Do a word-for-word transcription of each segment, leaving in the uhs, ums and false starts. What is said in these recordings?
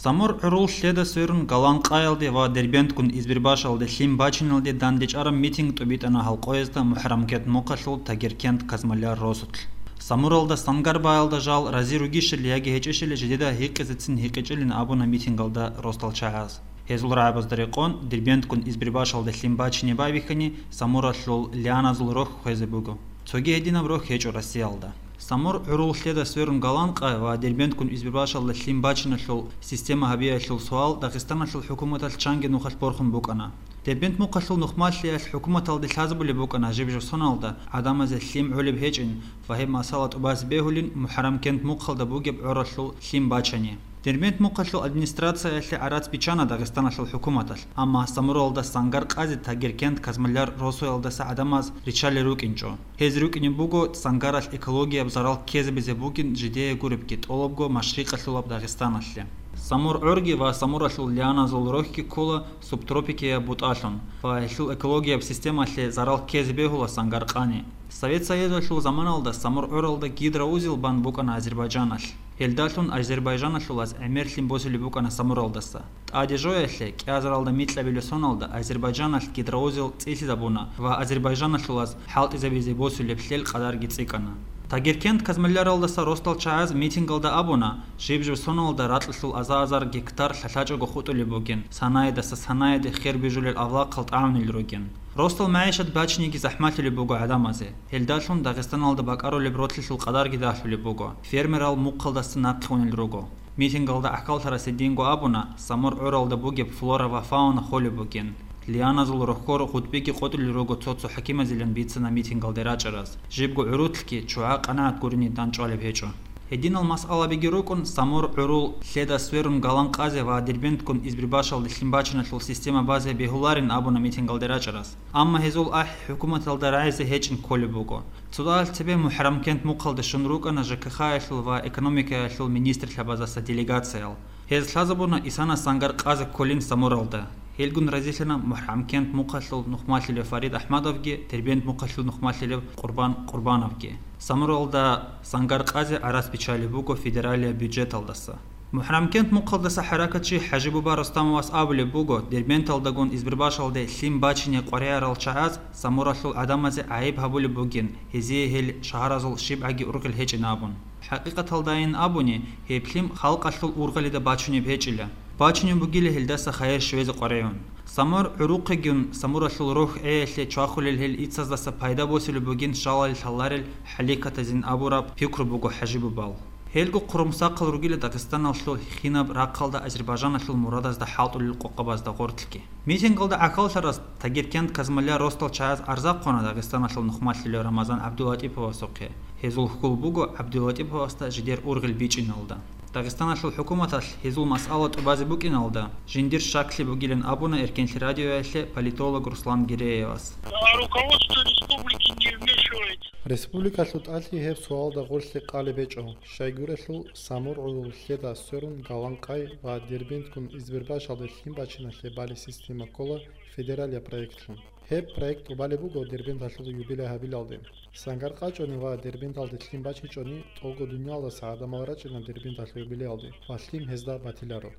Самур гӀурул лъеда сверун Галан-Къаялде ва Дербентгун Избербашалде лъим бачиналде дандечӀараб митинг тӀубитӀана гьалкъоязда МухӀарамкент мухъалъул Тагеркент Казмалляр росулъ. Самуралда Сангарбаялда жал рази ругищали яги гьечӀищали жидеда гьикъизецин гьикъичӀилин абуна митингалда росдал чагӀаз. Гьезул рагӀабазда рекъон, Дербентгун Избербашалде лъим бачине байбихьани, Самуралъул лианазул рохь хвезе буго. Цоги гьединаб рохь гьечӀо Россиялда. Самур гӀурул лъеда сверун Галан-Къай ва Дербентгун Избербашалда лъим бачиналъул система гьабиялъул суал Дагъистаналъул хӀукуматалъ чанги нухалъ борхун букӀана. Дербент мухъалъул нухмалъиялъ хӀукуматалде лъазабулеб букӀана жиб-жиб соналда гӀадамазе лъим гӀолеб гьечӀин ва гьеб масала тӀубазе бегьулин МухӀарамкент мухъалда бугеб гӀоралъул лъим бачани. Дербент мухъалъул администрациялъе гӀарац биччана Дагъистаналъул хӀукуматалъ, амма Самуралда Сангар-Къази Тагеркент Казмалляр росуялдаса гӀадамаз риччалел рукӀинчӀо. Гьез рукӀине буго Сангаралъ экологияб зарал ккезабизе бугин жидее гуребги тӀолабго машрикъалъулаб Дагъистаналъе. Самур гӀорги ва Самуралъул лианазул рохьги ккола субтропикияб бутӀалъун ва гьелъул экологияб системалъе зарал ккезе бегьула Сангар-Къани. Совет Союзалъул заманалда Самур гӀоралда гидроузел бан букӀана Азербайджаналъ. Гьелдалъун азербайжаналъулаз гӀемерлъи босулеб букӀана Самуралдаса. ТӀаде жоялъе, кӀиазаралда микьабилеб соналда Азербайджаналъ гидроузел цӀилъизабуна ва азербайжаналъулаз хӀалтӀизабизе босулеб лъел къадарги цӀикӀкӀана. Тагеркент Казмалляралдаса росдал чагӀаз митингалда абуна, жиб-жиб соналда ракьалъул аза-азар гектар лъалъачӀого хутӀулеб бугин, санаядаса санаяде хер бижулел авлахъал тӀагӀунел ругин. Росдал магӀишат бачиниги захӀмалъулеб буго гӀадамазе. Гьелдалъун Дагъистаналда бакӀарулеб ролъилъул къадарги дагьлъулеб буго, фермерал мухъалдаса нахъе унел руго. Митингалда гӀахьаллъарасе динго абуна, Самур гӀоралда бугеб флора ва фауна холеб бугин, лианазул рохьор гъутӀбиги къотӀулел руго цо-цо хӀакимазилан бицана митингалде рачӀараз, жибго гӀурутлъги чугӀа къанагӀат гуринидан чӀвалеб гьечӀо. Гьединал масъалабиги рукӀун, Самур гӀурул лъеда сверун Галан-Къази ва Дербентгун Избербашалде лъим бачиналъул система базе бегьуларин абуна митингалде рачӀараз. Амма гьезул ахӀи хӀукуматалда рагӀизе гьечӀин кколеб буго. Цо дагьалъ цебе МухӀарамкент мухъалде щун рукӀана ЖКХ-ялъул ва экономикаялъул министрлъабаздаса делегациял. Гьез лъазабуна Исана Сангар-Къази кколин Самуралда. Гьелгун разилъана МухӀарамкент мухъалъул нухмалъилев Фарид АхӀмадовги, Дербент мухъалъул нухмалъилев Къурбан Къурбановги. Самуралда Сангар-Къази гӀарац биччалеб буго федералияб бюджеталдаса. МухӀарамкент мухъалдаса хӀаракатчи ХӀажибуба Рустамовас абулеб буго, Дербенталдагун Избербашалде лъим бачине къваригӀарал чагӀаз Самуралъул гӀадамазе гӀайиб гьабулеб бугин, гьезие гьел шагьаразул щибгӀаги ургъел гьечӀин абун. ХӀакъикъаталдайин абуни, гьеб лъим халкъалъул ургъалида бачунеб гьечӀила. Бачунеб бугила гьелдаса хайир щвезе къваригӀун. Самур гӀурухъегун Самуралъул рохь гӀеялъе чвахулел гьел ицаздаса пайда босулеб бугин шалали лъаларел хӀалихьатазин абураб пикру буго ХӀажибубал. Гьелго хъурумсахъал ругила Дагъистаналъул хинаб рахъалда Азербайжаналъул мурадазда хӀалтӀулел къокъабазда гъорлъги. Митингалда гӀахьаллъарас Тагеркент Казмалляр росдал чагӀаз арза хъвана Дагъистаналъул нухмалъилев Рамазан ГӀабдулатӀиповасухъе. Гьезул хьул буго ГӀабдулатӀиповасда жидер ургъел бичӀчӀиналда. Дагъистаналъул хӀукуматалъ гьезул масъала тӀубазе букӀиналда жиндир щаклъи бугилан абуна Эркенлъи радиоялъе политолог Руслан Гиреевас. А руководство республики не вмешивается. Республикалъул тӀалъи гьеб суалда гъорлъе къалеб гьечӀо, щайгурелъул Самур гӀурул лъеда сверун Галан-Къай ва Дербентгун Избербашалде лъим бачиналъе балеб система ккола федералияб проектлъун. Гьеб проект тӀубалеб буго Дербенталъул юбилей гьабилалде. Сангар-Къай чӀвани ва Дербенталде лъим бачичӀони, тӀолго дуниялдаса гӀадамал рачӀина Дербенталъул юбилеялде ва лъим гьезда батиларо.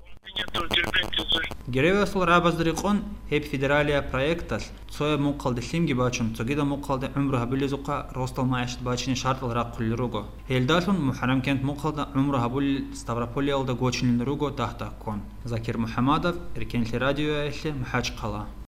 Гиреевасул рагӀабазда рекъон, гьеб федералияб проекталъ цояб мухъалде лъимги бачун, цогидаб мухъалде гӀумру гьабилезухъа росдал магӀишат бачине шартӀал рахъулел руго. Гьелдалъун МухӀарамкент мухъалда гӀумру гьабулел Ставрополиялда гочинилан руго дагь-дагьккун. Закир МухӀамадов, Эркенлъи радиоялъе, МахӀачхъала.